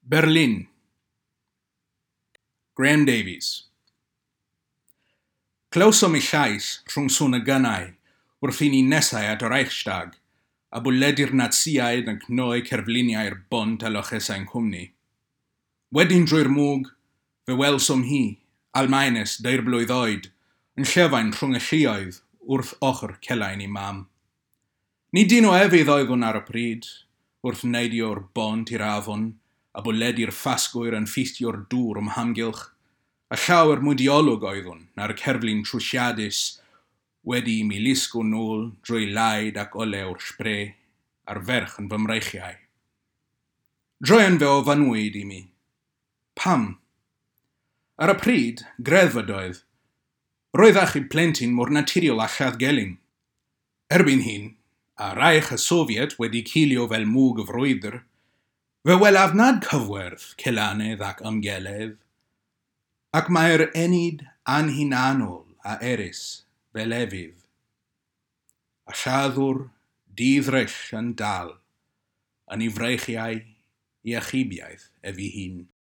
Berlin. Graham Davies. Clywsom ei llais rhwng sŵn y gynnau wrth i ni nesau at y Reichstag, a bwledi'r Natsiaid yn cnoi cerfluniau'r bont a lochesau'n cwmni. Wedyn drwy'r mwg, fe welsom hi, Almaenes deirblwydd oed, yn llefain rhwng y lluoedd wrth ochr celain ei mam. Nid dyn o efydd oeddwn ar y pryd, wrth neidio'r bont i'r afon, a bwledi'r ffasgwyr yn ffistio'r dŵr o'm hamgylch, a llawer mwy diolwg oeddwn na'r cerflun trwsiadus wedi i mi lusgo nôl drwy laid ac olew'r Spree a'r ferch yn fy mreichiau. Druan fe ofynnwyd i mi. Pam? Ar y pryd, greddf ydoedd. Roedd achub plentyn mor naturiol â lladd gelyn. Erbyn hyn, a Reich y Sofiet wedi cilio fel mwg y frwydr, fe welaf nad cyfwerth celanedd ac ymgeledd, ac mae'r ennyd anhunanol a erys fel efydd. A lladdwr di-ddryll yn dal yn ei freichiau i achubiaeth ef ei hun.